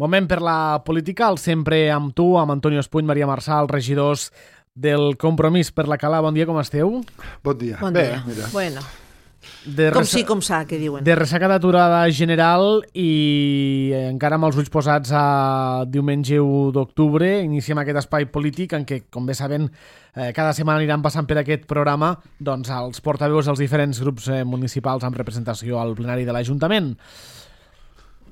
Moment per la política, el sempre amb tu, amb Antonio Espuny, Maria Marçal, regidors del Compromís per la Cala. Bon dia, com esteu? Bon dia. Bon Bé, dia. mira. Bueno, com sí, com s'ha, que diuen. De ressaca d'aturada general i encara amb els ulls posats a diumenge 1 d'octubre iniciem aquest espai polític en què, com bé saben, cada setmana aniran passant per aquest programa doncs, els portaveus dels diferents grups municipals amb representació al plenari de l'Ajuntament.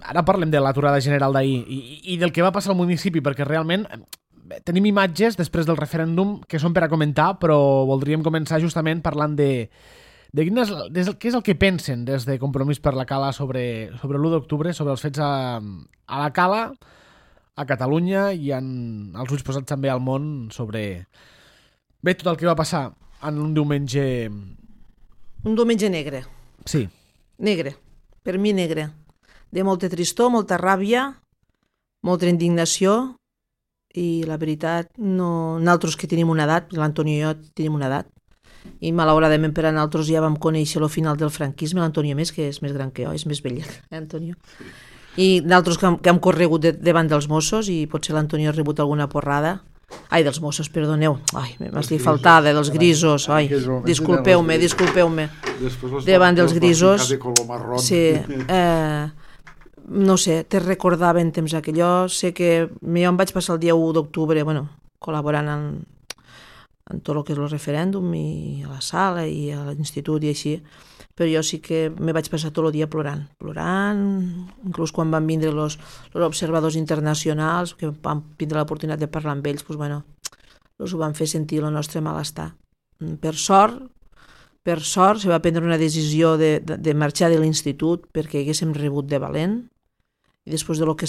Ara parlem de l'aturada general d'ahir i del que va passar al municipi, perquè realment tenim imatges després del referèndum que són per a comentar, però voldríem començar justament parlant de què és el que pensen des de Compromís per la Cala sobre l'1 d'octubre, sobre els fets a la Cala, a Catalunya i als ulls posats també al món sobre tot el que va passar en un diumenge... Un diumenge negre. Sí. Negre. Per mi negre. De molta tristor, molta ràbia, molta indignació i la veritat, nosaltres que tenim una edat, l'Antonio i jo tenim una edat, i malauradament per a nosaltres ja vam conèixer el final del franquisme, l'Antonio més, que és més gran que jo, és més vell, Antonio. I nosaltres que hem corregut davant dels Mossos i potser l'Antonio ha rebut alguna porrada. Ai, dels Mossos, perdoneu. Ai, m'estic faltada, dels grisos. Ai, disculpeu-me. Davant dels grisos. Sí, no sé, te recordava en temps aquell. Jo sé que jo em vaig passar el dia 1 d'octubre, col·laborant en tot el que és el referèndum i a la sala i a l'institut i així, però jo sí que me vaig passar tot el dia plorant, inclús quan van vindre els observadors internacionals, que vam tindre l'oportunitat de parlar amb ells, els ho van fer sentir el nostre malestar. Per sort, se va prendre una decisió de marxar de l'institut perquè haguéssim rebut de valent, i després del que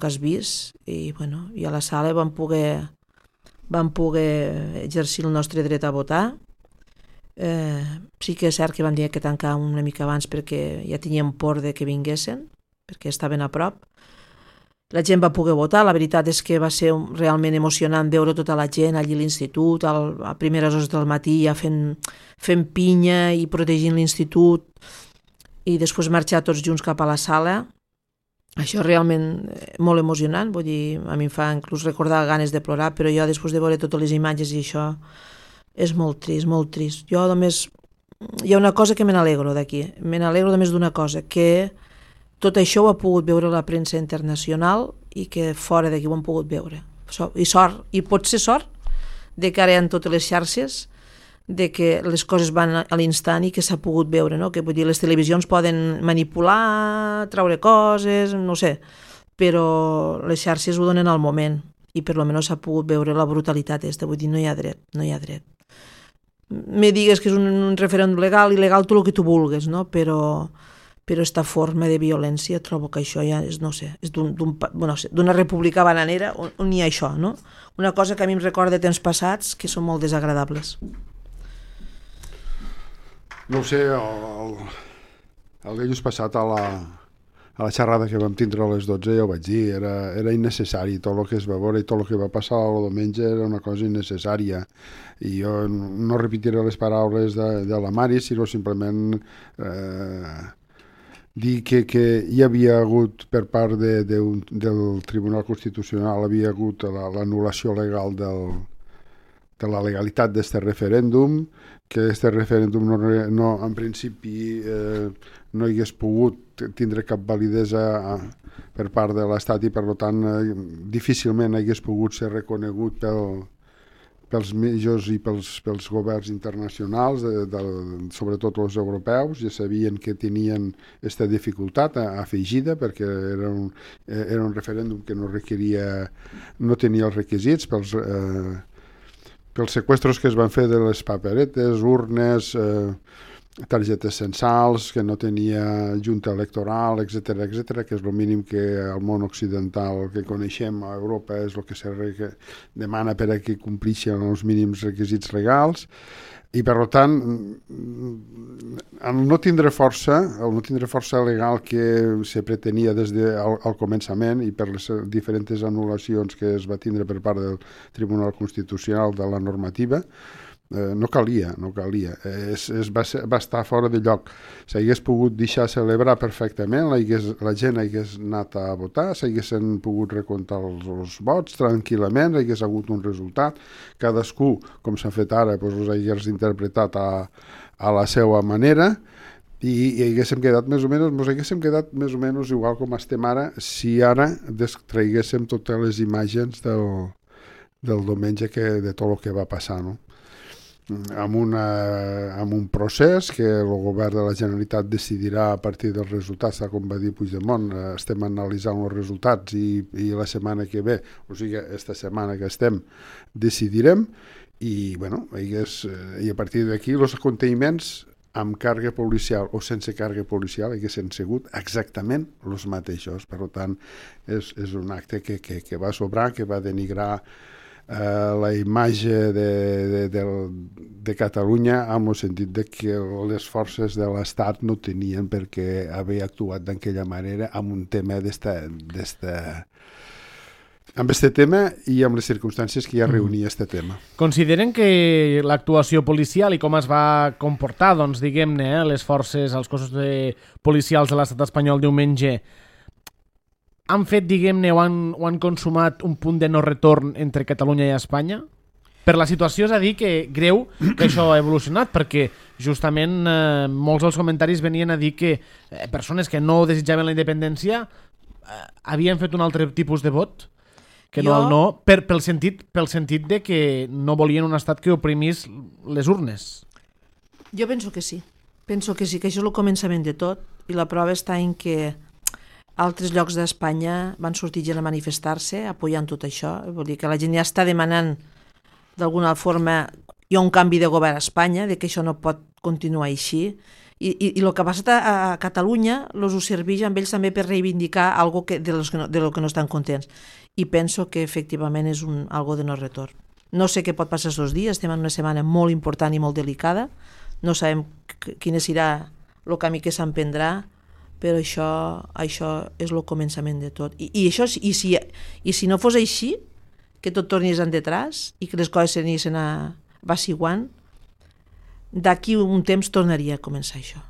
has vist, i a la sala vam poder exercir el nostre dret a votar. Sí que és cert que vam dir que tancàvem una mica abans perquè ja teníem por de que vinguessin, perquè estaven a prop. La gent va poder votar, la veritat és que va ser realment emocionant veure tota la gent allí a l'institut, a primeres hores del matí ja fent pinya i protegint l'institut, i després marxar tots junts cap a la sala. Això és realment molt emocionant, vull dir, a mi em fa inclús recordar ganes de plorar, però jo després de veure totes les imatges i això és molt trist, molt trist. Jo només, hi ha una cosa que me n'alegro d'aquí, me n'alegro només d'una cosa, que tot això ho ha pogut veure la premsa internacional i que fora d'aquí ho han pogut veure. I sort, i pot ser sort, de que ara hi ha totes les xarxes, de que les coses van a l'instant i que s'ha pogut veure, no? Que vull dir, les televisions poden manipular, treure coses, no sé, però les xarxes ho donen al moment i per almenys s'ha pogut veure la brutalitat aquesta, vull dir, no hi ha dret. Me digues que és un referèndum legal, il·legal, tot el que tu vulgues, no? Però aquesta forma de violència trobo que això ja és, no sé, és d'una república bananera on hi ha això, no? Una cosa que a mi em recorda de temps passats que són molt desagradables. No ho sé, el dilluns passat a la xerrada que vam tindre a les 12 ja ho vaig dir, era innecessari, tot el que es va veure i tot el que va passar el diumenge era una cosa innecessària, i jo no repetiré les paraules de la Mari, sinó simplement dir que hi havia hagut per part del Tribunal Constitucional, havia hagut l'anul·lació legal de la legalitat d'aquest referèndum, que aquest referèndum no, en principi no hagués pogut tindre cap validesa per part de l'Estat i per tant difícilment hagués pogut ser reconegut pels mitjans i pels governs internacionals, sobretot els europeus. Ja sabien que tenien aquesta dificultat afegida perquè era un referèndum que no tenia els requisits pels seqüestros que es van fer de les paperetes, urnes, targetes censals, que no tenia junta electoral, etc., que és el mínim que al món occidental que coneixem a Europa és el que se demana per a que complixen els mínims requisits legals. I per tant, el no tindre força legal que se pretenia des del començament i per les diferents anul·lacions que es va tindre per part del Tribunal Constitucional de la normativa, no calia. Va estar fora de lloc. S'hagués pogut deixar celebrar perfectament, la gent hagués anat a votar, s'haguessin pogut recomptar els vots tranquil·lament, hagués hagut un resultat, cadascú, com s'ha fet ara, els hagués interpretat a la seva manera, i haguéssim quedat més o menys igual com estem ara, si ara traiguéssim totes les imatges del diumenge de tot el que va passar, no? Amb un procés que el govern de la Generalitat decidirà a partir dels resultats, tal com va dir Puigdemont. Estem analitzant els resultats i la setmana que ve, o sigui, esta setmana que estem, decidirem, i a partir d'aquí els aconteixements amb càrrega policial o sense càrrega policial haguessin sigut exactament els mateixos. Per tant, és un acte que va sobrar, que va denigrar la imatge de Catalunya, amb el sentit de que les forces de l'Estat no tenien per què haver actuat d'aquella manera amb un tema amb este tema i amb les circumstàncies que ja reunia este tema. Consideren que l'actuació policial i com es va comportar, doncs, diguem-ne, les forces, els cossos policials de l'estat espanyol diumenge, han fet, diguem-ne, o han consumat un punt de no retorn entre Catalunya i Espanya? Per la situació, és a dir, que greu que això ha evolucionat, perquè justament molts dels comentaris venien a dir que persones que no desitjaven la independència havien fet un altre tipus de vot, que no el no, pel sentit de que no volien un estat que oprimís les urnes. Jo penso que sí, que això és el començament de tot, i la prova està en que altres llocs d'Espanya van sortir gent a manifestar-se apoyant tot això. Vol dir que la gent ja està demanant d'alguna forma, hi ha un canvi de govern a Espanya, de que això no pot continuar així, i el que ha passat a Catalunya els ho serveix amb ells també per reivindicar algo de lo que no estan contents, i penso que efectivament és algo de no retorn. No sé què pot passar aquests dies, estem en una setmana molt important i molt delicada, no sabem quin serà el camí que s'emprendrà, però això és el començament de tot. I si no fos així, que tot tornés endetrás i que les coses s'anissin vaciguant, d'aquí un temps tornaria a començar això.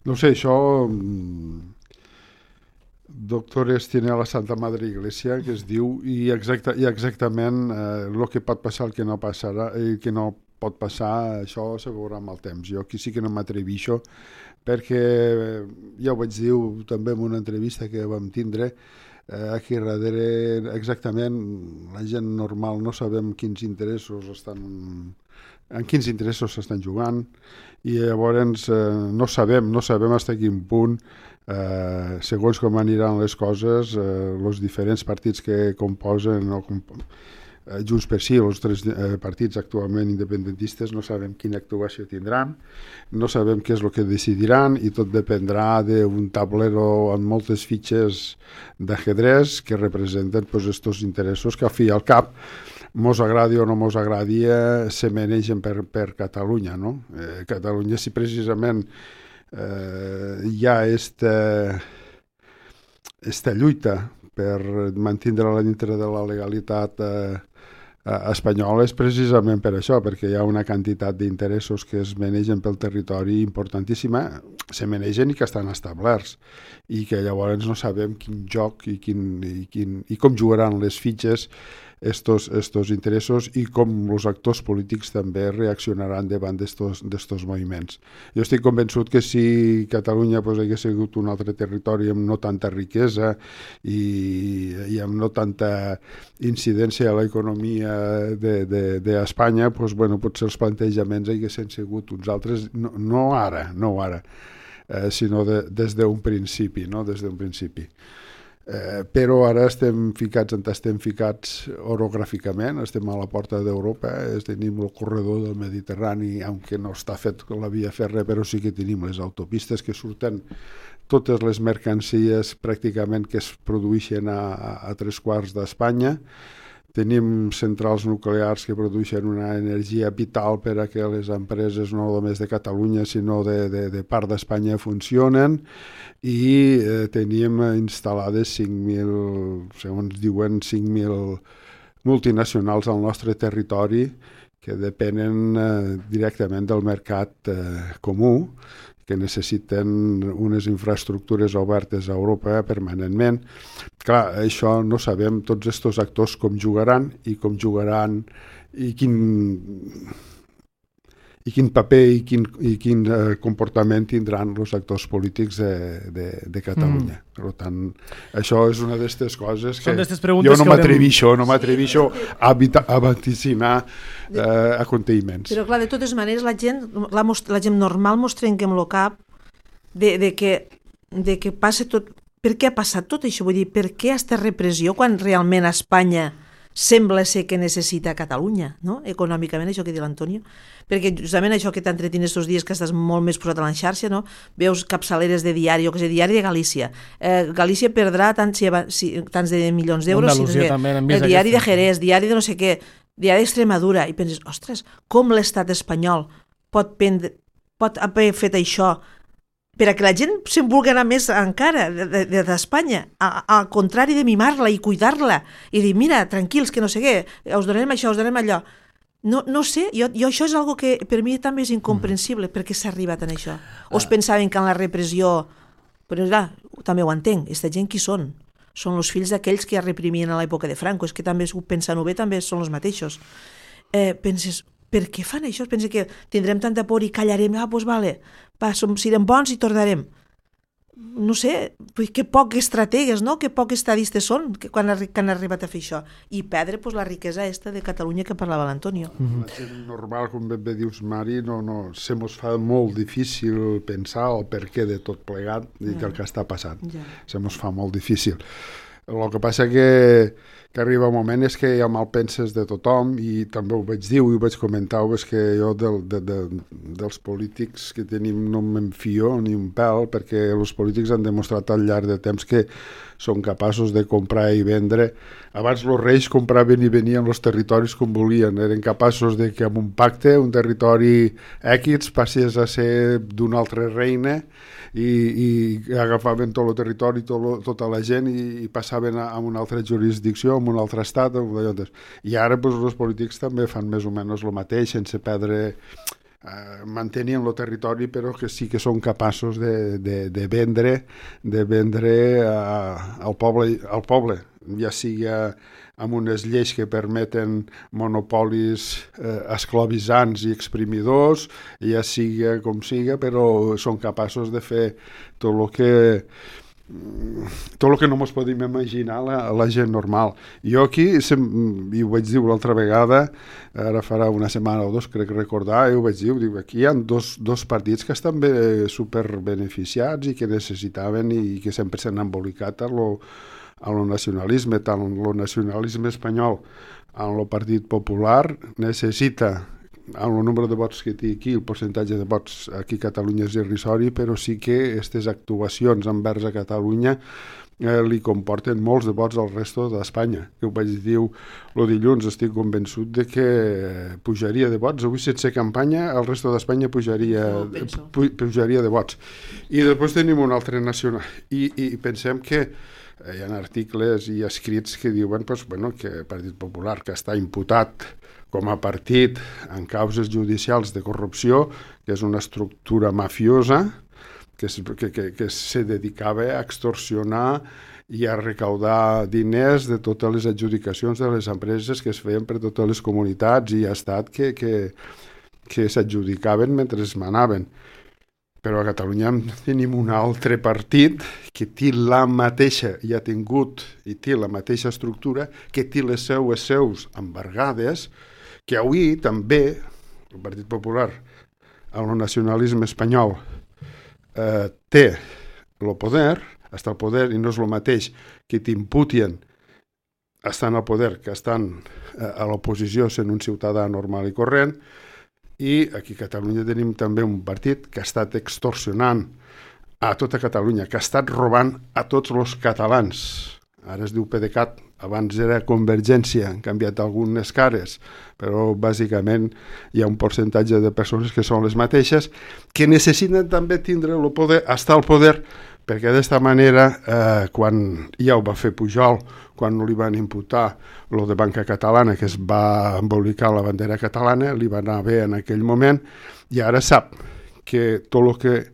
No sé, això... Doctores tiene a la Santa Madre Iglesia, que es diu, i exactament el que pot passar, el que no passarà, el que no pot passar, això se veurà amb el temps. Jo aquí sí que no m'atrevixo, perquè ja ho vaig dir també en una entrevista que vam tindre, aquí darrere exactament la gent normal no sabem en quins interessos s'estan jugant, i llavors no sabem fins a quin punt, segons com aniran les coses, els diferents partits que composen Junts per Sí, els tres partits actualment independentistes, no sabem quina actuació tindran, no sabem què és el que decidiran, i tot dependrà d'un tablero amb moltes fitxes d'ajedrez que representen aquests interessos que al fi i al cap, mos agradi o no mos agradi, se manegen per Catalunya, no? Catalunya, si precisament hi ha esta lluita per mantenir-la dintre de la legalitat espanyola, és precisament per això, perquè hi ha una quantitat d'interessos que es manegen pel territori importantíssima, se manegen i que estan establerts, i que llavors no sabem quin joc i com jugaran les fitxes estos interessos, i com els actors polítics també reaccionaran davant d'estos moviments. Jo estic convençut que si Catalunya hagués sigut un altre territori amb no tanta riquesa i amb no tanta incidència a l'economia d'Espanya, potser els plantejaments haguessin sigut uns altres, no ara, sinó des d'un principi, no? Des d'un principi. Però ara estem ficats orogràficament, estem a la porta d'Europa, tenim el corredor del Mediterrani, aunque no està fet la via fèrria, però sí que tenim les autopistes que surten totes les mercancies pràcticament que es produeixen a 3/4 d'Espanya. Tenim centrals nuclears que produeixen una energia vital per a que les empreses no només de Catalunya sinó de part d'Espanya funcionen, i tenim instal·lades 5.000, segons diuen, 5.000 multinacionals al nostre territori, que depenen directament del mercat comú, que necessiten unes infraestructures obertes a Europa permanentment. Clar, això no sabem tots aquests actors com jugaran i quin paper i quin comportament tindran els actors polítics de Catalunya. Per tant, això és una d'aquestes coses que jo no m'atreveixo a vaticinar aconteixements. Però clar, de totes maneres, la gent normal mos trenquem el cap de que passa tot. Per què ha passat tot això? Vull dir, per què aquesta repressió quan realment a Espanya sembla ser que necessita Catalunya, no? Econòmicament, això que diu l'Antonio, perquè justament això que t'entretien estos dies que estàs molt més posat a la xarxa, no? Veus capçaleres de diari, o que sé, diari de Galícia. Galícia perdrà tants de milions d'euros, el diari de Jerez, diari de no sé què, diari d'Extremadura, i penses, ostres, com l'estat espanyol pot haver fet això per a que la gent se'n vulgui anar més encara d'Espanya, al contrari de mimar-la i cuidar-la i dir, mira, tranquils, que no sé què, us donarem això, us donarem allò. No sé, jo això és algo que per mi també és incomprensible, perquè s'ha arribat en això. O es pensaven que en la repressió... Però clar, també ho entenc, aquesta gent qui són? Són els fills d'aquells que reprimien a l'època de Franco, és que també, pensant-ho bé, també són els mateixos. Penses, per què fan això? Pensa que tindrem tanta por i callarem, doncs vale, serem bons i tornarem. No sé, que poc estrategues, no? Que poc estadistes són que han arribat a fer això. I perdre la riquesa de Catalunya que parlava l'Antonio. La gent normal, com ben bé dius, Mari, se mos fa molt difícil pensar el per què de tot plegat i el que està passant. Se mos fa molt difícil. El que passa que arriba un moment és que hi ha malpenses de tothom, i també ho vaig dir i ho vaig comentar, és que jo dels polítics que tenim no me'n fio ni un pèl, perquè els polítics han demostrat al llarg de temps que són capaços de comprar i vendre. Abans els reis compraven i venien els territoris com volien, eren capaços de que amb un pacte un territori X passés a ser d'un altre regne, i agafaven tot el territori, tota la gent, i passaven a una altra jurisdicció, a un altre estat. I ara els polítics també fan més o menys el mateix, sense perdre, mantenien el territori, però que sí que són capaços de vendre al poble, ja sigui amb unes lleis que permeten monopolis esclavitzants i exprimidors, ja sigui com siga, però són capaços de fer tot el que no ens podem imaginar la gent normal. Jo aquí, i ho vaig dir l'altra vegada, ara farà una setmana o dos, crec recordar, i ho vaig dir, aquí hi ha dos partits que estan superbeneficiats i que necessitaven i que sempre s'han embolicat a lo nacionalisme, tant el nacionalisme espanyol en el Partit Popular necessita, amb el nombre de vots que té aquí, el percentatge de vots aquí a Catalunya és irrisori, però sí que aquestes actuacions envers a Catalunya li comporten molts de vots al resto d'Espanya. Que ho vaig dir el dilluns, estic convençut de que pujaria de vots. Avui, sense campanya, el resto d'Espanya pujaria de vots. I després tenim un altre nacional. I pensem que hi ha articles i escrits que diuen que el Partit Popular, que està imputat com a partit en causes judicials de corrupció, que és una estructura mafiosa, que se dedicava a extorsionar i a recaudar diners de totes les adjudicacions de les empreses que es feien per totes les comunitats i estat que s'adjudicaven mentre es manaven. Però a Catalunya tenim un altre partit que té la mateixa, i ha tingut i té la mateixa estructura, que té les seus embargades, que avui també el Partit Popular, el nacionalisme espanyol, té el poder, està al poder, i no és el mateix que t'imputien estan al poder que estan a l'oposició sent un ciutadà normal i corrent. I aquí a Catalunya tenim també un partit que ha estat extorsionant a tota Catalunya, que ha estat robant a tots els catalans. Ara es diu PDeCAT, abans era Convergència, han canviat algunes cares, però bàsicament hi ha un percentatge de persones que són les mateixes, que necessiten també tindre el poder, estar al poder, perquè d'esta manera, quan ja ho va fer Pujol, quan li van imputar lo de Banca Catalana, que es va embolicar la bandera catalana, li va anar bé en aquell moment, i ara sap que tot el que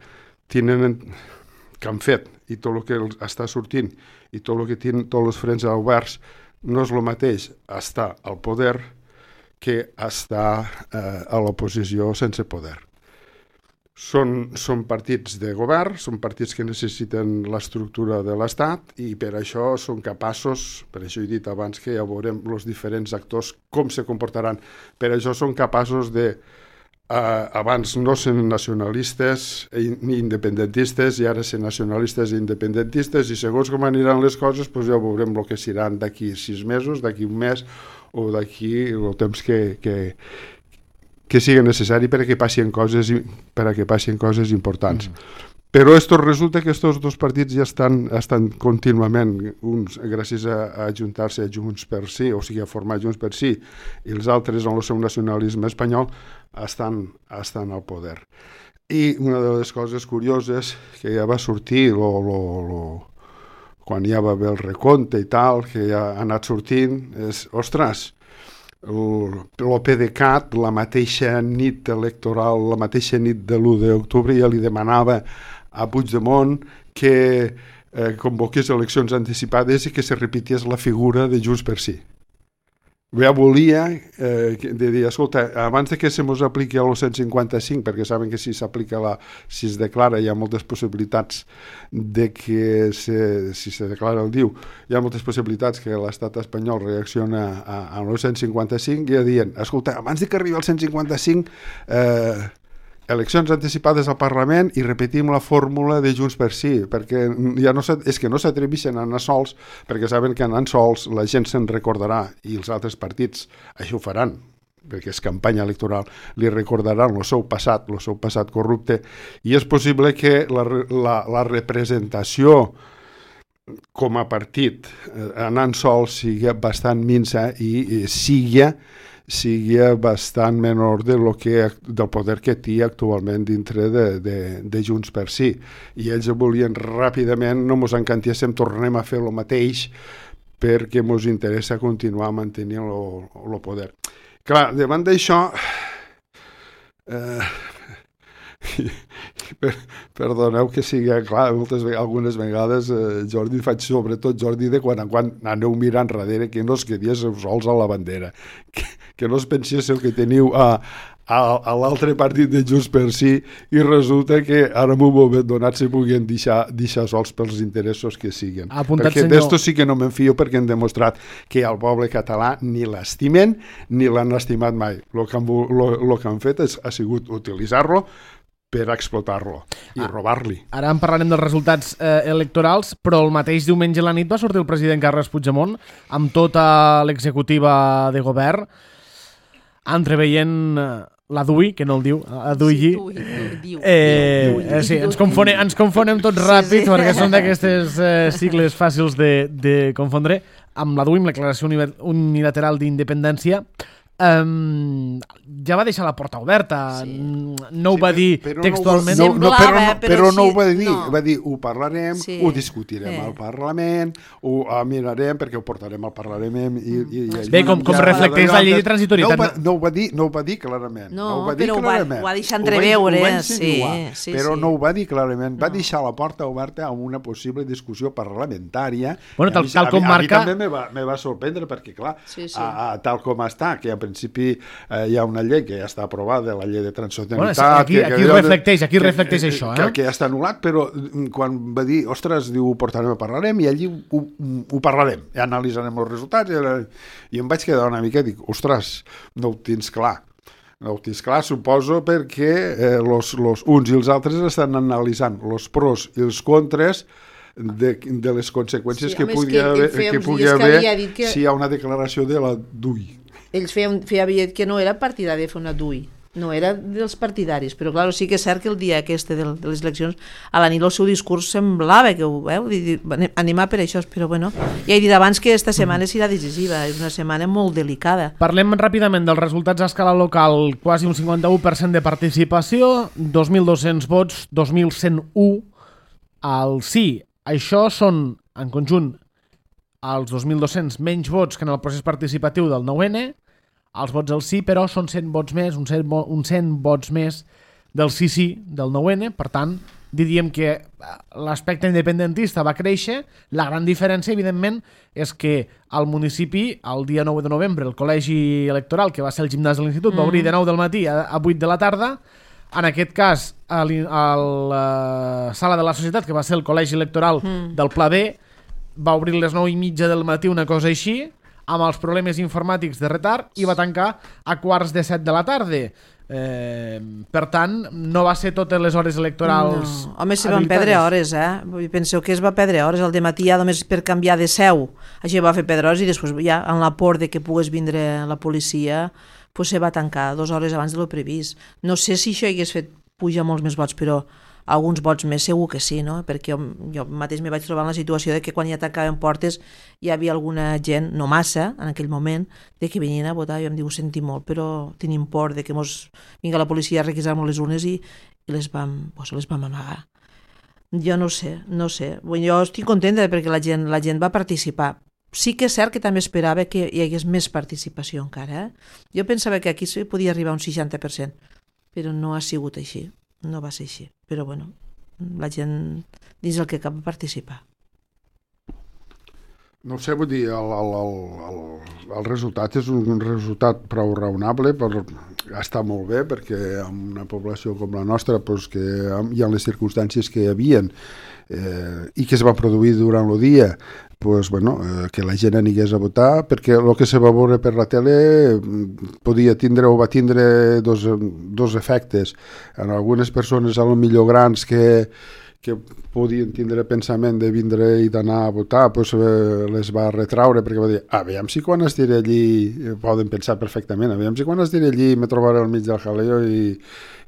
han fet i tot el que està sortint i tot el que tenen tots els frens oberts no és el mateix estar al poder que estar a l'oposició sense poder. Són partits de govern, són partits que necessiten l'estructura de l'Estat i per això són capaços, per això he dit abans que ja veurem els diferents actors com se comportaran, per això són capaços de, abans no ser nacionalistes ni independentistes i ara ser nacionalistes i independentistes i segons com aniran les coses doncs ja veurem el que seran d'aquí 6 mesos, d'aquí un mes o d'aquí el temps que sigui necessari perquè passin coses importants. Però resulta que aquests dos partits ja estan contínuament, uns gràcies a ajuntar-se a Junts per Sí, o sigui a formar Junts per Sí, i els altres en el seu nacionalisme espanyol estan al poder. I una de les coses curioses que ja va sortir quan ja va haver el recompte i tal, que ja ha anat sortint, és, ostres, el PDeCAT, la mateixa nit electoral, la mateixa nit de l'1 d'octubre, ja li demanava a Puigdemont que convoqués eleccions anticipades i que se repetés la figura de Junts per Sí. Ja volia dir, escolta, abans de que se mos apliqui el 155, perquè saben que si es declara hi ha moltes possibilitats de que si se declara el DIU, hi ha moltes possibilitats que l'estat espanyol reacciona a l'155 i ja diuen, escolta, abans de que arribi el 155 eleccions anticipades al Parlament i repetim la fórmula de Junts per Sí, perquè ja és que no s'atreveixen a anar sols, perquè saben que anant sols la gent se'n recordarà i els altres partits això ho faran, perquè és campanya electoral, li recordaran el seu passat corrupte, i és possible que la representació com a partit anant sols sigui bastant minsa i sigui bastant menor del poder que té actualment dintre de Junts per Sí. I ells volien ràpidament, no mos encantiéssim, tornem a fer el mateix perquè mos interessa continuar mantenint el poder. Clar, davant d'això, perdoneu que sigui clar, algunes vegades, Jordi, faig sobretot Jordi de quan en quan aneu mirant darrere que no es quedéssiu sols a la bandera, que no es penséssiu que teniu a l'altre partit de Junts per Sí i resulta que ara en un moment donat se puguin deixar sols pels interessos que siguen. Perquè d'esto sí que no me'n fio perquè han demostrat que al poble català ni l'estimen ni l'han estimat mai. El que han fet ha sigut utilitzar-lo per explotar-lo i robar-li. Ara en parlarem dels resultats electorals, però el mateix diumenge a la nit va sortir el president Carles Puigdemont amb tota l'executiva de govern entreveient la DUI, que no el diu, la DUI. Sí, ens confonem tots ràpid perquè són d'aquestes sigles fàcils de confondre, amb la DUI, amb la Declaració Unilateral d'Independència. Ja va deixar la porta oberta, no ho va dir textualment, però no ho va dir, va dir ho parlarem, ho discutirem al Parlament, ho mirarem perquè ho portarem al Parlament. Bé, com reflecteix la llei de transitorietat. No ho va dir clarament. No, però ho va deixar entreveure, però no ho va dir clarament, va deixar la porta oberta a una possible discussió parlamentària. Tal com marca... A mi també me va sorprendre perquè, clar, tal com està, que a principi hi ha una llei que ja està aprovada, la llei de transitorietat. Aquí reflecteix això. Que ja està anul·lat, però quan va dir, ostres, diu, ho portarem a parlarem, i allí ho parlarem, i analitzarem els resultats, i em vaig quedar una mica i dic, ostres, no ho tens clar. No ho tens clar, suposo, perquè uns i els altres estan analitzant els pros i els contres de les conseqüències que pugui haver si hi ha una declaració de la DUI. Ells feia aviat que no era partidari de fer una DUI, no era dels partidaris, però clar, sí que és cert que el dia aquest de les eleccions, a la nit el seu discurs semblava que ho veu, animar per això, però bueno, ja he dit abans que esta setmana serà decisiva, és una setmana molt delicada. Parlem ràpidament dels resultats a escala local, quasi un 51% de participació, 2.200 vots, 2.101 al sí. Això són, en conjunt, els 2.200 menys vots que en el procés participatiu del 9N. Els vots al sí, però, són 100 vots més, uns 100 vots més del sí, del 9N. Per tant, diríem que l'aspecte independentista va créixer. La gran diferència, evidentment, és que al municipi, el dia 9 de novembre, el col·legi electoral, que va ser el gimnàs de l'institut, va obrir de 9 del matí a 8 de la tarda. En aquest cas, a la sala de la societat, que va ser el col·legi electoral del Pla B, va obrir les 9:30 del matí, una cosa així, amb els problemes informàtics de retard, i va tancar a 7:15 de la tarda. Per tant, no va ser totes les hores electorals. No. Home, se van perdre hores, Penseu que es va perdre hores. El dematí ja només per canviar de seu, això va fer perdre hores, i després ja en la por de que pogués vindre la policia, pues se va tancar 2 hores abans de lo previst. No sé si això hagués fet pujar molts més vots, però alguns vots més segur que sí, no? Perquè jo mateix me vaig trobar en la situació de que quan ja tancaven portes hi havia alguna gent, no massa en aquell moment, de que venien a votar. Jo em diu, ho senti molt, però tenim por de que vinga la policia a requisar-nos les urnes i les vam amagar. Jo no sé. Jo estic contenta perquè la gent va participar. Sí que és cert que també esperava que hi hagués més participació encara. Jo pensava que aquí se podia arribar a un 60%, però no ha sigut així. No va ser així, però bueno, la gent dins el que cap va participar. No sé, vull dir, el resultat és un resultat prou raonable, per estar molt bé, perquè en una població com la nostra, doncs, que hi ha les circumstàncies que hi havien i que es va produir durant el dia, pues, bueno, que la gent anigués a votar, perquè el que se va veure per la tele podia tindre o va tindre dos efectes. En algunes persones, a lo millor grans, que podien tindre pensament de vindre i d'anar a votar, pues, les va retraure, perquè va dir, aviam si quan estiré allí, poden pensar perfectament, aviam si quan estiré allí me trobaré al mig del jaleo i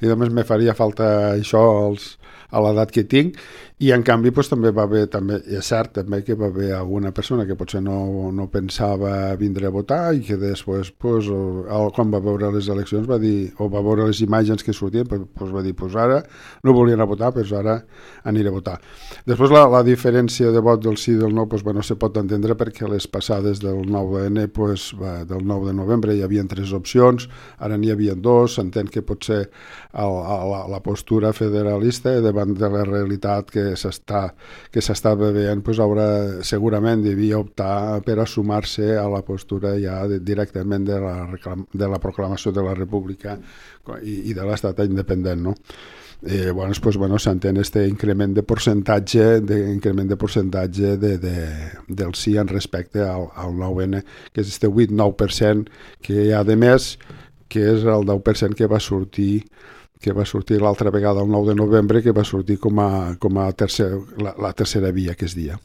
només me faria falta això a l'edat que tinc. I en canvi pues, també va haver, és cert també que va haver alguna persona que potser no pensava vindre a votar i que després pues, quan va veure les eleccions va dir, o va veure les imatges que sortien, pues, va dir, pues ara no volien a votar, pues ara aniré a votar. Després la diferència de vot del sí i del no pues, bueno, se pot entendre perquè les passades del 9N pues, del 9 de novembre hi havia 3 opcions, ara n'hi havia 2, s'entén que potser la postura federalista davant de la realitat que s'està veient, pues, segurament devia optar per a sumar-se a la postura ja directament de la proclamació de la República i de l'estat independent, no? S'entén este increment de percentatge del sí en respecte al 9N, que és este 8-9% que hi ha de més, que és el 10% que va sortir l'altra vegada el 9 de novembre, que va sortir com a la tercera via que es dia.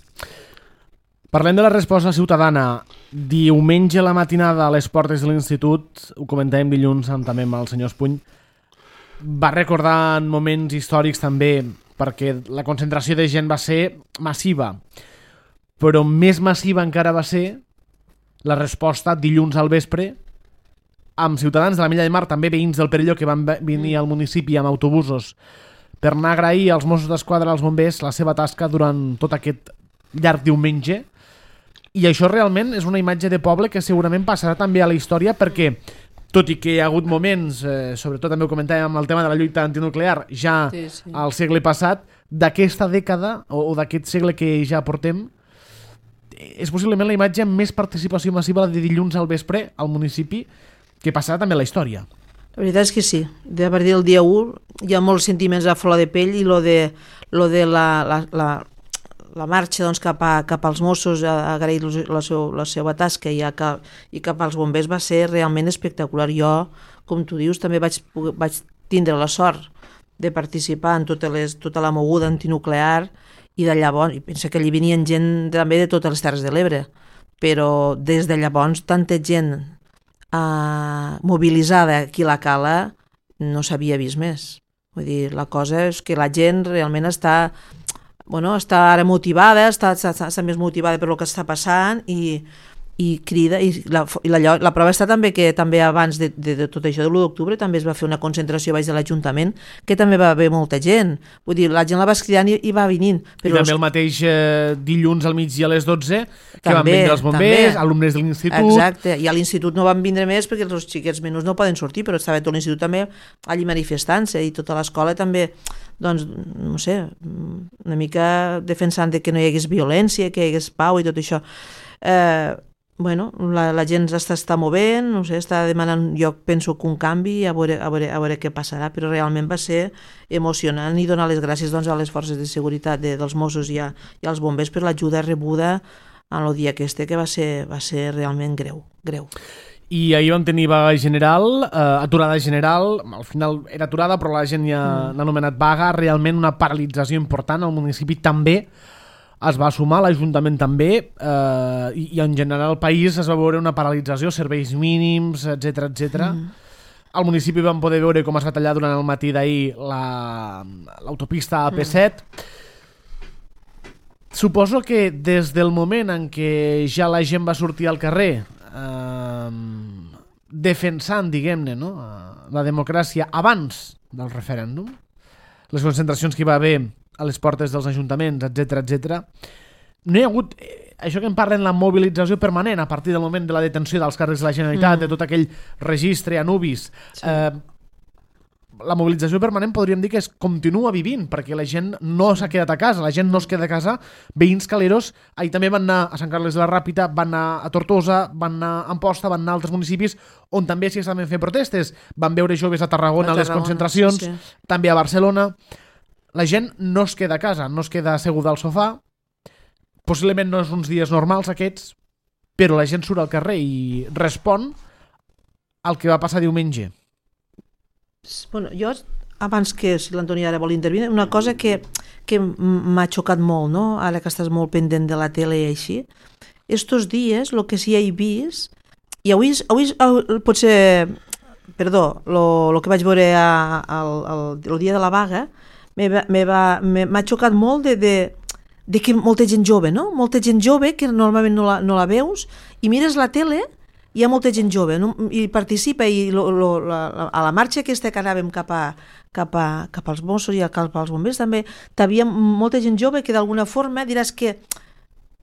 Parlem de la resposta ciutadana. Diumenge a la matinada a les portes de l'institut, ho comentàvem dilluns també amb el senyor Espuny, va recordar moments històrics també, perquè la concentració de gent va ser massiva, però més massiva encara va ser la resposta dilluns al vespre amb ciutadans de la Milla de Mar, també veïns del Perelló, que van venir al municipi amb autobusos per anar a agrair als Mossos d'Esquadra, als bombers, la seva tasca durant tot aquest llarg diumenge. I això realment és una imatge de poble que segurament passarà també a la història, perquè tot i que hi ha hagut moments, sobretot també ho comentàvem amb el tema de la lluita antinuclear, ja al segle passat, d'aquesta dècada o d'aquest segle que ja portem, és possiblement la imatge amb més participació massiva de dilluns al vespre al municipi, que passarà també a la història. La veritat és que sí. A partir del dia 1 hi ha molts sentiments a flor de pell, i lo de la marxa doncs, cap als Mossos a agrair la seva tasca i cap als bombers va ser realment espectacular. Jo, com tu dius, també vaig tindre la sort de participar en tota la moguda antinuclear, i de llavors, i penso que allí venien gent també de totes les Terres de l'Ebre, però des de llavors tanta gent mobilitzada aquí a la Cala no s'havia vist més. Vull dir, la cosa és que la gent realment està ara motivada, està més motivada per el que està passant, i i crida, i la prova està també que també abans de tot això de l'1 d'octubre també es va fer una concentració baix de l'Ajuntament, que també va haver molta gent, vull dir, la gent la va cridant i va venint. Però I també el mateix dilluns al migdia a les 12, que van vindre els bombers, alumnes de l'institut... Exacte, i a l'institut no van vindre més perquè els xiquets menús no poden sortir, però estava tot l'institut també allí manifestant-se, i tota l'escola també, doncs, no sé, una mica defensant que no hi hagués violència, que hi hagués pau i tot això. Bueno, la gent està movent, no sé, està demanant, jo penso que un canvi, a veure què passarà, però realment va ser emocionant, i donar les gràcies doncs, a les forces de seguretat dels Mossos i als bombers per l'ajuda rebuda en el dia que va ser realment greu. I ahir vam tenir vaga general, aturada general, al final era aturada però la gent ja l'ha anomenat vaga, realment una paralització important, el municipi també es va sumar, l'Ajuntament també, i en general el país es va veure una paralització, serveis mínims, etc. Al municipi vam poder veure com es va tallar durant el matí d'ahir l'autopista AP7. Suposo que des del moment en què ja la gent va sortir al carrer defensant, diguem-ne, no? La democràcia abans del referèndum, les concentracions que hi va haver a les portes dels ajuntaments, etc. No hi ha hagut, això que en parlen, la mobilització permanent a partir del moment de la detenció dels càrrecs de la Generalitat, de tot aquell registre a Nubis. Sí. La mobilització permanent podríem dir que es continua vivint, perquè la gent no s'ha quedat a casa, la gent no es queda a casa. Veïns caleros, ahir també van anar a Sant Carles de la Ràpita, van anar a Tortosa, van anar a Amposta, van anar a altres municipis on també s'hi estaven fent protestes. Van veure joves a Tarragona, a les concentracions, sí. També a Barcelona. La gent no es queda a casa, no es queda asseguda al sofà. Possiblement no és uns dies normals aquests, però la gent surt al carrer i respon al que va passar diumenge. Bueno, jo, abans que si l'Antoni ara vol intervenir, una cosa que m'ha xocat molt, no? Ara que estàs molt pendent de la tele i així, estos dies, el que sí he vist, i avui potser, perdó, el que vaig veure el dia de la vaga, m'ha xocat molt de que molta gent jove, no? Molta gent jove que normalment no la veus, i mires la tele, hi ha molta gent jove, no? I participa, i a la marxa aquesta que anàvem cap als Mossos i cap als bombers també hi havia molta gent jove que d'alguna forma diràs que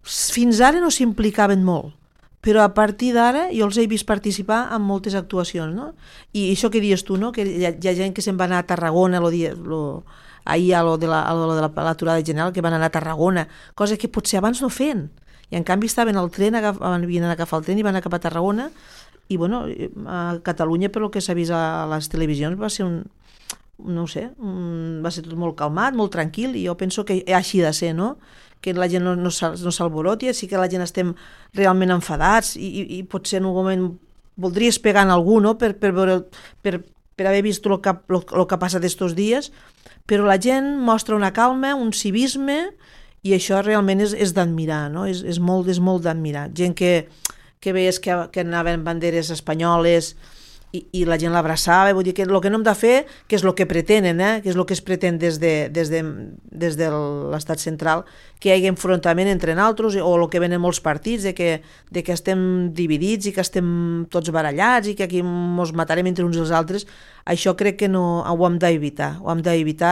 fins ara no s'implicaven molt, però a partir d'ara jo els he vist participar en moltes actuacions, no? I això que dius tu, no? Que hi ha gent que se'n va anar a Tarragona ahir a lo de l'aturada general, que van anar a Tarragona, cosa que potser abans no feien, i en canvi estaven al tren, havien d'anar a agafar el tren i van anar cap a Tarragona. I bueno, a Catalunya, per el que s'ha vist a les televisions, va ser va ser tot molt calmat, molt tranquil, i jo penso que així de ser, no? Que la gent no s'alboroti, sí que la gent estem realment enfadats, i potser en un moment voldries pegar en algú, no? Per haver vist el que ha passat estos dies, però la gent mostra una calma, un civisme, i això realment és d'admirar, no? És molt d'admirar. Gent que veies que anaven banderes espanyoles i la gent l'abraçava, vull dir que el que no hem de fer, que és el que pretenen, que és el que es pretén des de l'estat central, que hi hagi enfrontament entre nosaltres, o el que venen molts partits, de que estem dividits i que estem tots barallats i que aquí ens matarem entre uns i els altres. Això crec que no ho hem d'evitar,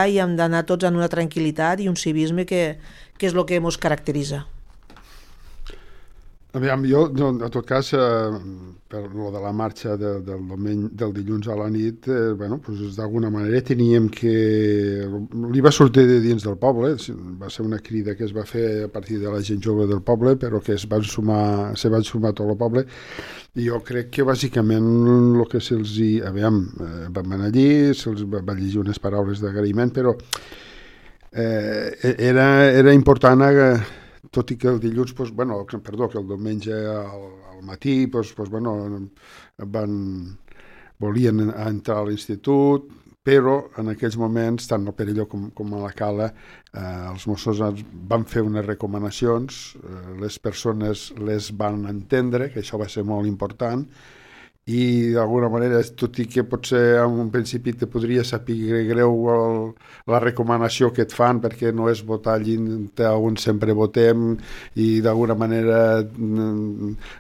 i hem d'anar tots en una tranquil·litat i un civisme que és el que ens caracteritza. Aviam, jo, en tot cas, per lo de la marxa del dilluns a la nit, doncs d'alguna manera teníem que... Li va sortir de dins del poble, va ser una crida que es va fer a partir de la gent jove del poble, però que se van sumar tot el poble, i jo crec que bàsicament el que se'ls hi... Aviam, vam anar allí, se'ls va llegir unes paraules d'agraïment, però era important tot i que el dilluns, que el diumenge al matí volien entrar a l'institut, però en aquells moments, tant a Perelló com a la Cala, els Mossos van fer unes recomanacions, les persones les van entendre, que això va ser molt important, i d'alguna manera, tot i que potser en un principi te podria saber greu la recomanació que et fan, perquè no és votar allí on sempre votem, i d'alguna manera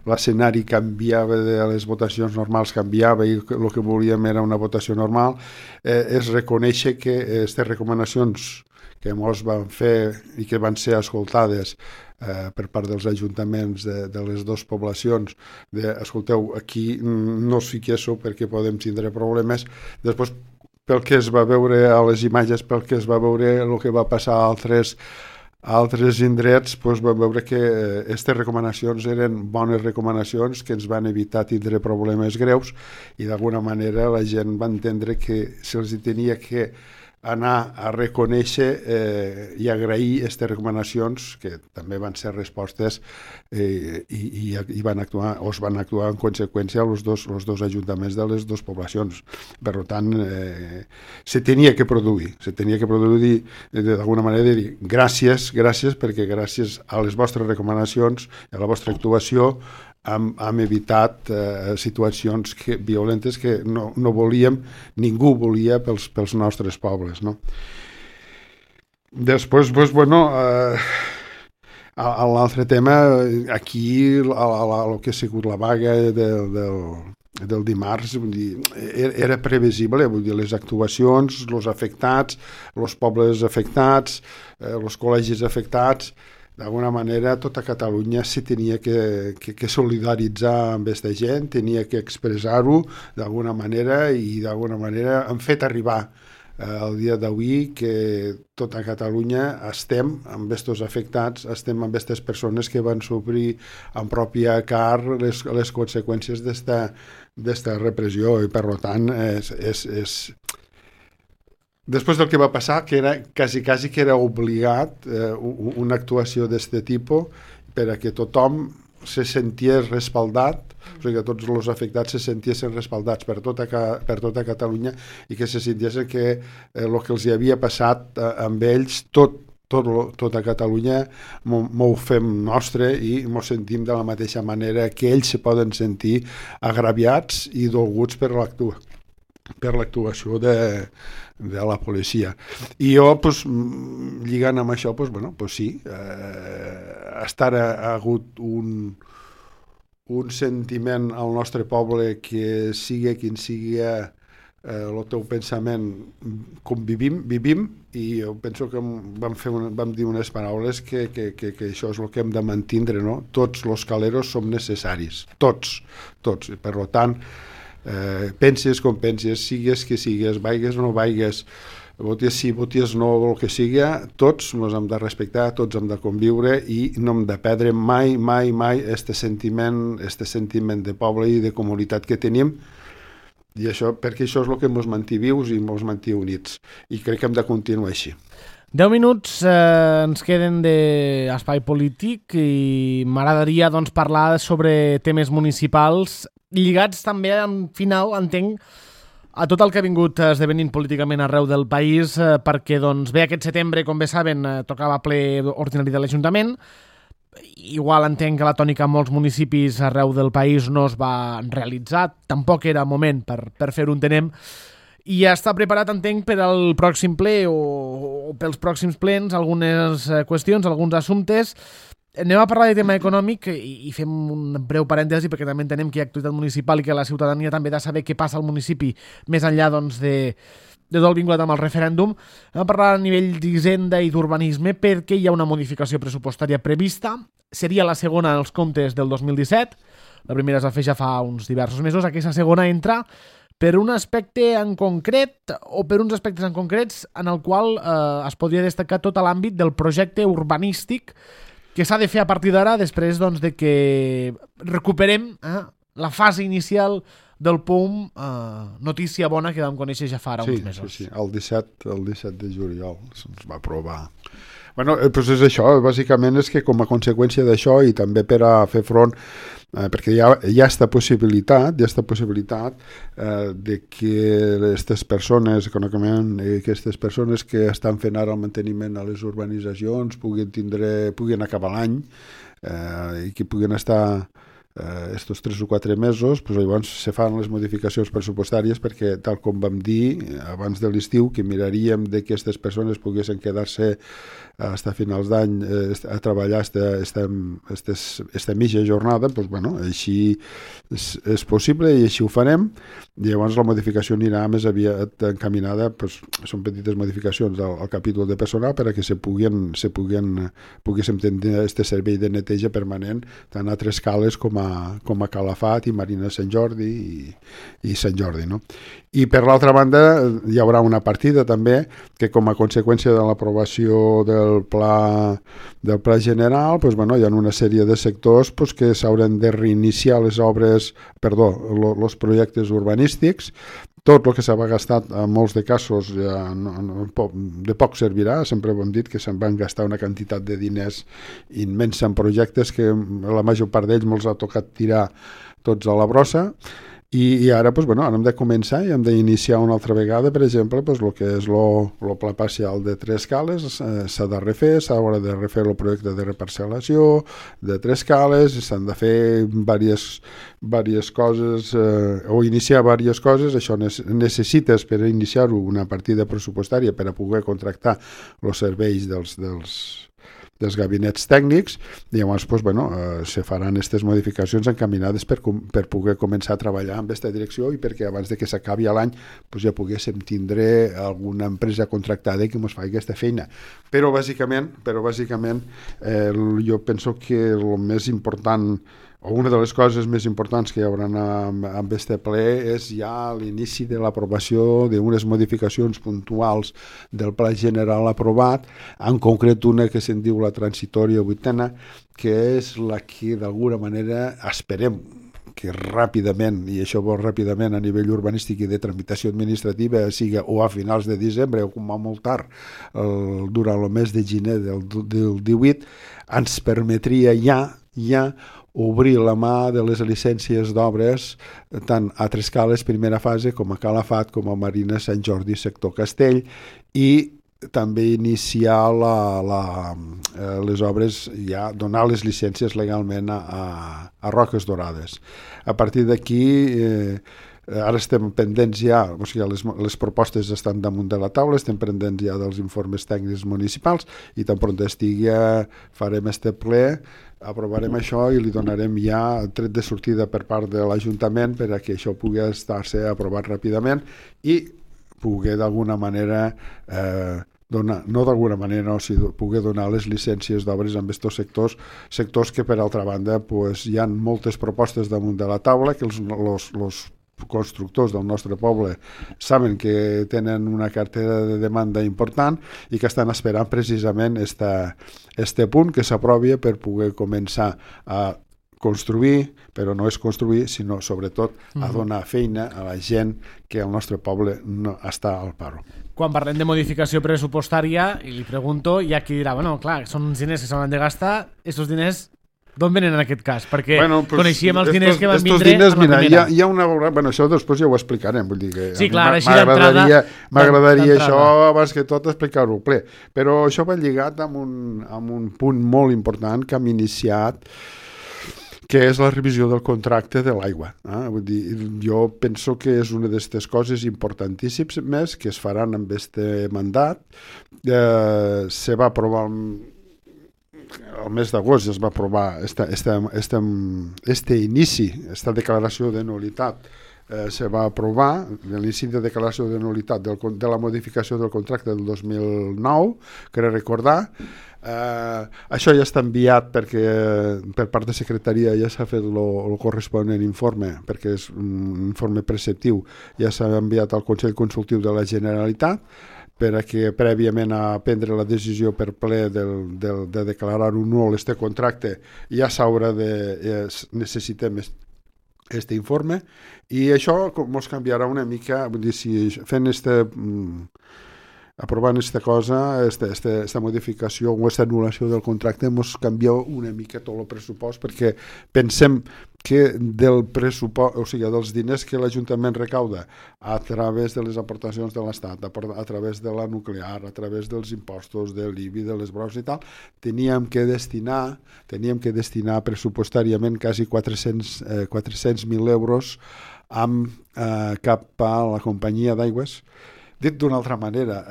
l'escenari canviava, de les votacions normals canviava, i el que volíem era una votació normal, és reconèixer que aquestes recomanacions que molts van fer i que van ser escoltades per part dels ajuntaments de les dues poblacions, escolteu, aquí no us fiquéssiu perquè podem tindre problemes. Després, pel que es va veure a les imatges, pel que es va veure el que va passar a altres indrets, doncs vam veure que aquestes recomanacions eren bones recomanacions que ens van evitar tindre problemes greus, i d'alguna manera la gent va entendre que se'ls tenia que anar a reconèixer i agrair aquestes recomanacions, que també van ser respostes i van actuar en conseqüència els dos ajuntaments de les dues poblacions. Per tant, se tenia que produir d'alguna manera, dir gràcies, perquè gràcies a les vostres recomanacions i a la vostra actuació hem evitat situacions violentes que no volíem, ningú volia pels nostres pobles, no? Després, l'altre tema, aquí el que ha sigut la vaga del dimarts, vull dir, era previsible, vull dir, les actuacions, els afectats, els pobles afectats, els col·legis afectats. D'alguna manera, tota Catalunya se tenia que solidaritzar amb aquesta gent, tenia que expressar-ho d'alguna manera, i d'alguna manera hem fet arribar el dia d'avui que tota Catalunya estem amb aquests afectats, estem amb aquestes persones que van sofrir en pròpia carn les conseqüències d'esta repressió, i per tant després del que va passar, que era quasi que era obligat una actuació d'aquest tipus per a que tothom se senties respaldat, o sigui que tots els afectats se sentiessin respaldats per tota Catalunya, i que se sentissin que el que els havia passat amb ells, tota Catalunya m'ho fem nostre i m'ho sentim de la mateixa manera que ells se poden sentir agraviats i dolguts per l'actuació de la policia. I jo, lligant amb això, sí, ha hagut un sentiment al nostre poble que sigui quin sigui el teu pensament, com vivim, i jo penso que vam dir unes paraules que això és el que hem de mantindre, no? Tots els caleros som necessaris, tots. Per tant, penses com penses, sigues que sigues, vaigues o no vaigues, voties sí, voties no, el que sigui, tots ens hem de respectar, tots hem de conviure, i no hem de perdre mai este sentiment de poble i de comunitat que tenim, i això, perquè això és el que ens manté vius i ens manté units, i crec que hem de continuar així. 10 minuts ens queden d'espai polític, i m'agradaria parlar sobre temes municipals lligats també, en final, entenc, a tot el que ha vingut esdevenint políticament arreu del país, perquè bé, aquest setembre, com bé saben, tocava ple ordinari de l'Ajuntament. Igual entenc que la tònica en molts municipis arreu del país no es va realitzar, tampoc era moment per fer-ho, entenem, i ja està preparat, entenc, per al pròxim ple o pels pròxims plens, algunes qüestions, alguns assumptes. Anem a parlar de tema econòmic i fem un breu parèntesi, perquè també entenem que hi ha activitat municipal i que la ciutadania també ha de saber què passa al municipi més enllà de tot el vinculat amb el referèndum. Anem a parlar a nivell d'hisenda i d'urbanisme, perquè hi ha una modificació pressupostària prevista. Seria la segona en els comptes del 2017. La primera es va fer ja fa uns diversos mesos. Aquesta segona entra per un aspecte en concret, o per uns aspectes en concrets, en el qual es podria destacar tot l'àmbit del projecte urbanístic que s'ha de fer a partir d'ara, després de que recuperem la fase inicial del POUM, notícia bona que vam conèixer ja fa ara uns mesos. Sí, el 17 de juliol se'ns va aprovar. Doncs és això, bàsicament és que com a conseqüència d'això, i també per a fer front, perquè hi ha aquesta possibilitat de que aquestes persones, aquestes persones que estan fent ara el manteniment a les urbanitzacions puguin acabar l'any i que puguin estar estos 3 o 4 mesos, doncs llavors se fan les modificacions pressupostàries perquè, tal com vam dir abans de l'estiu, que miraríem de que aquestes persones poguessin quedar-se fins a finals d'any a treballar esta mitja jornada, doncs, bueno, així és possible i així ho farem. I llavors la modificació anirà més aviat encaminada, doncs, són petites modificacions al capítol de personal perquè poguéssim tenir aquest servei de neteja permanent tant a Trescales com a Calafat i Marina Sant Jordi i Sant Jordi, no? I per l'altra banda hi haurà una partida també que com a conseqüència de l'aprovació del pla general, doncs, bueno, hi ha una sèrie de sectors doncs, que s'hauran de reiniciar els projectes urbanístics. Tot el que s'ha gastat en molts de casos ja de poc servirà. Sempre ho hem dit que se'n van gastar una quantitat de diners immensa en projectes que la major part d'ells me'ls ha tocat tirar tots a la brossa. I ara, doncs, bueno, ara hem de començar i hem d'iniciar una altra vegada, per exemple, doncs, el que és el pla parcial de Trescales, s'ha de refer, s'haurà de refer el projecte de reparcel·lació de Trescales, s'han de fer diverses coses o iniciar diverses coses. Això necessites per iniciar-ho una partida pressupostària per a poder contractar els serveis dels gabinets tècnics i llavors doncs, bueno, se faran aquestes modificacions encaminades per poder començar a treballar en aquesta direcció i perquè abans de que s'acabi l'any doncs, ja poguéssim tindre alguna empresa contractada que ens faci aquesta feina. Però bàsicament jo penso que el més important o una de les coses més importants que hi haurà amb aquest ple és ja l'inici de l'aprovació d'unes modificacions puntuals del pla general aprovat, en concret una que se'n diu la transitòria 8ena, que és la que d'alguna manera esperem que ràpidament, i això vol ràpidament a nivell urbanístic i de tramitació administrativa, sigui o a finals de desembre o com a molt tard durant el mes de gener del 18, ens permetria ja obrir la mà de les llicències d'obres tant a Trescales, primera fase, com a Calafat, com a Marina Sant Jordi, sector Castell, i també iniciar les obres, ja donar les llicències legalment a Roques Dorades. A partir d'aquí ara estem pendents ja, o sigui, les propostes estan damunt de la taula, estem pendents ja dels informes tècnics municipals i tan pront estigui farem este ple, aprovarem això i li donarem ja tret de sortida per part de l'Ajuntament per a que això pugui estar-se aprovat ràpidament i poder d'alguna manera poder donar les llicències d'obres amb aquests sectors que per altra banda pues, hi ha moltes propostes damunt de la taula que els constructors del nostre poble saben que tenen una cartera de demanda important i que estan esperant precisament este punt que s'aprovi per poder començar a construir, però no és construir, sinó sobretot a donar feina a la gent que al nostre poble no està al paro. Quan parlem de modificació pressupostària, i li pregunto, hi ha qui dirà, bueno, clar, són uns diners que s'hauran de gastar, aquests diners d'on venen en aquest cas? Perquè coneixíem els diners que van vindre diners, amb la primera. Hi ha una... Bueno, això després ja ho explicarem. Vull dir que sí, clar, així d'entrada... M'agradaria això, abans que tot, explicar-ho ple. Però això va lligat amb un punt molt important que hem iniciat, que és la revisió del contracte de l'aigua. Vull dir, jo penso que és una d'aquestes coses importantíssimes que es faran amb aquest mandat. Se va aprovar el mes d'agost, es va aprovar este inici, esta declaració de nul·litat se va aprovar, l'inici de declaració de nul·litat de la modificació del contracte del 2009, crec recordar. Això ja està enviat perquè per part de secretaria ja s'ha fet el corresponent informe, perquè és un informe preceptiu, ja s'ha enviat al Consell Consultiu de la Generalitat per a que prèviament a prendre la decisió per ple de declarar-ho nul este contracte ja s'haurà necessitem este informe i això ens canviarà una mica, vull dir, si fent aprovant esta cosa, esta modificació o esta anul·lació del contracte, ens canvia una mica tot el pressupost, perquè pensem que del pressupost, o sigui, dels diners que l'Ajuntament recauda a través de les aportacions de l'Estat, a través de la nuclear, a través dels impostos, de l'IBI, de les brocs i tal, teníem que destinar pressupostàriament quasi 400.000 euros cap a la companyia d'aigües. Dit d'una altra manera,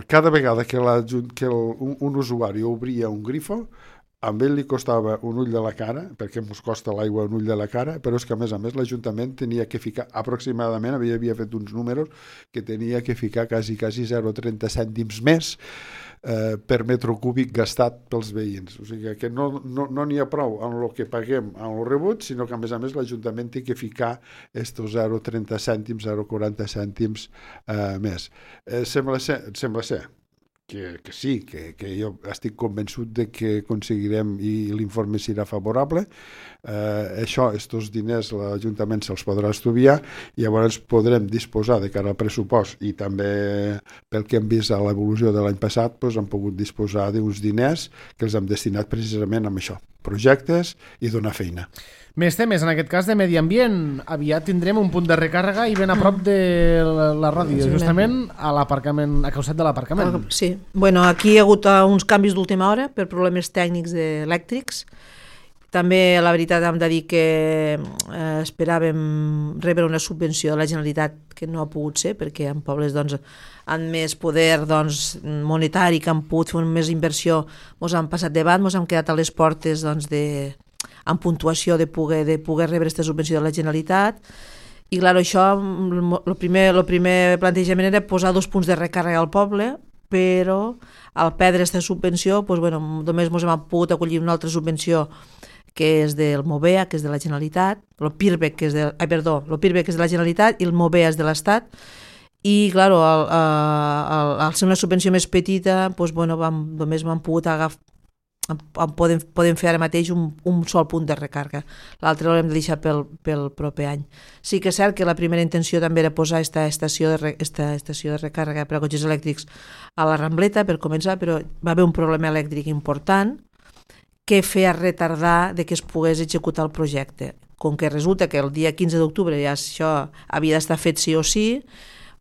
cada vegada que un usuari obria un grifo, a ell li costava un ull de la cara, perquè ens costa l'aigua un ull de la cara, però és que a més l'Ajuntament tenia que ficar, aproximadament, havia fet uns números, que tenia que ficar quasi 0,30 cèntims més per metre cúbic gastat pels veïns. O sigui que no n'hi ha prou en el que paguem en el rebut, sinó que a més l'Ajuntament té que ficar estos 0,30 cèntims, 0,40 cèntims més. Sembla ser que sí, que jo estic convençut de que aconseguirem i l'informe serà favorable. Estos diners l'Ajuntament se'ls podrà estudiar i llavors podrem disposar de cara al pressupost, i també pel que hem vist a l'evolució de l'any passat, hem pogut disposar d'uns diners que els hem destinat precisament a això, projectes i donar feina. Més temes, en aquest cas de medi ambient. Aviat tindrem un punt de recàrrega i ben a prop de la ràdio, justament a l'aparcament, a costat de l'aparcament. Sí, bueno, aquí hi ha hagut uns canvis d'última hora per problemes tècnics elèctrics. També, la veritat, hem de dir que esperàvem rebre una subvenció de la Generalitat que no ha pogut ser, perquè en pobles amb més poder monetari, que han pogut fer més inversió, ens han passat davant, ens han quedat a les portes amb puntuació de poder rebre aquesta subvenció de la Generalitat. I clar, això, el primer plantejament era posar 2 punts de recàrrega al poble, però al perdre aquesta subvenció només ens hem pogut acollir una altra subvenció que és del MOVEA, que és de la Generalitat, el PIRBEC, que és de la Generalitat, i el MOVEA és de l'Estat. I, clar, al ser una subvenció més petita, només m'han pogut agafar, podem fer ara mateix un sol punt de recàrrega. L'altre l'hem de deixar pel proper any. Sí que és cert que la primera intenció també era posar esta estació de recàrrega per a cotxes elèctrics a la Rambleta, per començar, però va haver un problema elèctric important que feia retardar que es pogués executar el projecte. Com que resulta que el dia 15 d'octubre ja això havia d'estar fet sí o sí,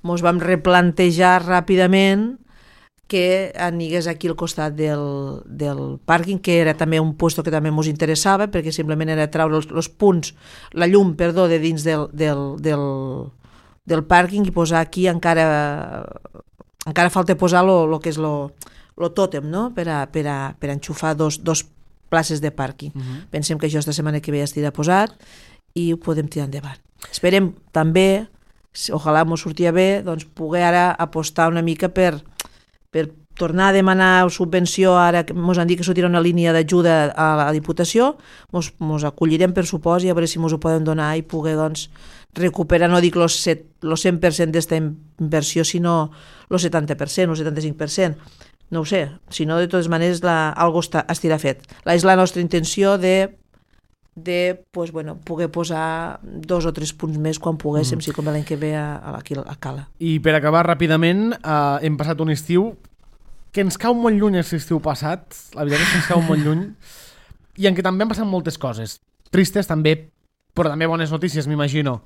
ens vam replantejar ràpidament que anigués aquí al costat del pàrquing, que era també un lloc que també ens interessava, perquè simplement era treure els punts, la llum, de dins del pàrquing i posar aquí encara falta posar el que és el tòtem, no? per a enxufar dos places de pàrquing. Pensem que això esta setmana que ve ja estirà posat i ho podem tirar endavant. Esperem també, ojalà ens sortia bé, poder ara apostar una mica per tornar a demanar subvenció. Ara que ens han dit que sortirà una línia d'ajuda a la Diputació, ens acollirem per supost i a veure si ens ho podem donar i poder recuperar, no dic el 100% d'esta inversió, sinó el 70%, el 75%. No ho sé, si no, de totes maneres, algo estirà fet. És la nostra intenció de poder posar 2 o 3 punts més quan poguéssim, si com l'any que ve aquí a Cala. I per acabar ràpidament, hem passat un estiu que ens cau molt lluny aquest estiu passat, la veritat és que ens cau molt lluny, i en què també han passat moltes coses, tristes també, però també bones notícies, m'imagino.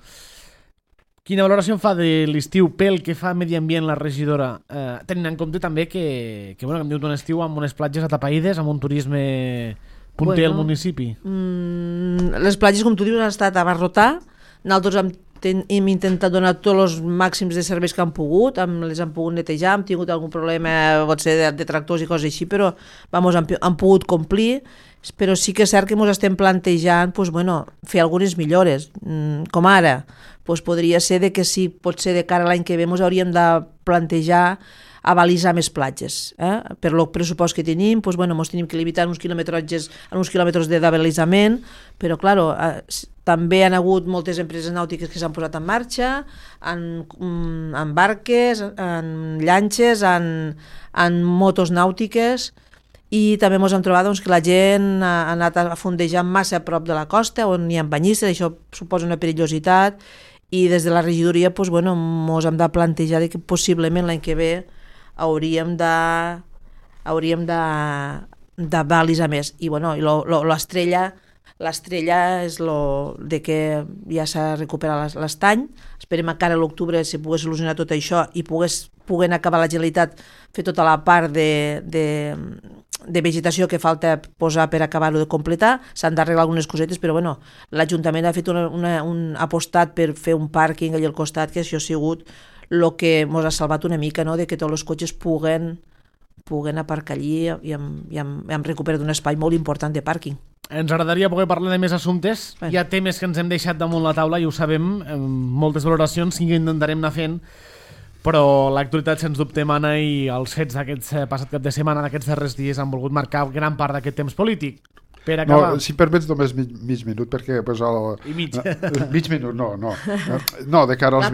Quina valoració en fa de l'estiu pel que fa a Medi Ambient la regidora, tenint en compte també que hem tingut un estiu amb unes platges atapeïdes, amb un turisme punter al municipi? Les platges, com tu dius, han estat a abarrotar. Nosaltres hem intentat donar tots els màxims de serveis que han pogut, les han pogut netejar, hem tingut algun problema, pot ser de tractors i coses així, però han pogut complir. Però sí que és cert que ens estem plantejant fer algunes millores, com ara podria ser que si pot ser de cara a l'any que ve ens hauríem de plantejar avalisar més platges. Per el pressupost que tenim, ens tenim que limitar uns quilòmetres d'avalisament, però clar, també han hagut moltes empreses nàutiques que s'han posat en marxa, en barques, en llanxes, en motos nàutiques, i també ens hem trobat que la gent ha anat a fondejar massa a prop de la costa, on hi ha banyistes, això suposa una perillositat, i des de la regidoria doncs, bueno, mos hem de plantejar que possiblement l'any que ve hauríem de balisar més. I bueno, l'estrella és de que ja s'ha recuperat l'estany. Esperem que ara a l'octubre se pogués solucionar tot això i puguem acabar la Generalitat, fer tota la part de vegetació que falta posar per acabar-ho de completar. S'han d'arreglar algunes cosetes, però bueno, l'Ajuntament ha fet un apostat per fer un pàrquing allà al costat, que això ha sigut el que ens ha salvat una mica, no? De que tots els cotxes puguen aparcar allí i hem recuperat un espai molt important de pàrquing. Ens agradaria poder parlar de més assumptes. Hi ha temes que ens hem deixat damunt la taula i ho sabem, moltes valoracions que intentarem anar fent, però l'actualitat sens dubte mana i els fets d'aquest passat cap de setmana, d'aquests darrers dies, han volgut marcar gran part d'aquest temps polític. Per acabar. No, si permets només mig minut, perquè... Pues, I mig. Mig minut, no. No, de cara als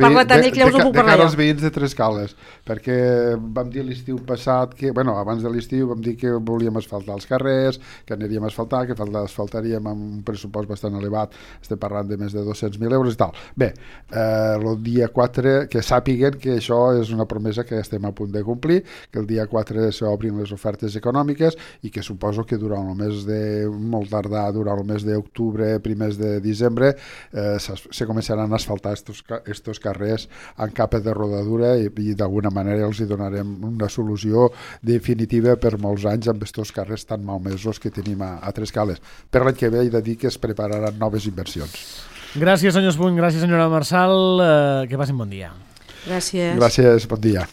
veïns de Trescales, perquè vam dir l'estiu passat, abans de l'estiu vam dir que volíem asfaltar els carrers, que aniríem a asfaltar, que asfaltaríem amb un pressupost bastant elevat, estem parlant de més de 200.000 euros i tal. Bé, el dia 4, que sàpiguen que això és una promesa que estem a punt de complir, que el dia 4 s'obrin les ofertes econòmiques i que suposo que durant el mes de molt tardar, durant el mes d'octubre, primers de desembre, se començaran a asfaltar estos carrers en capa de rodadura i d'alguna manera els hi donarem una solució definitiva per molts anys amb estos carrers tan malmesos que tenim a Trescales. Per l'any que ve he de dir que es prepararan noves inversions. Gràcies, senyor Espuny, gràcies, senyora Marçal, que passin bon dia. Gràcies. Gràcies, bon dia.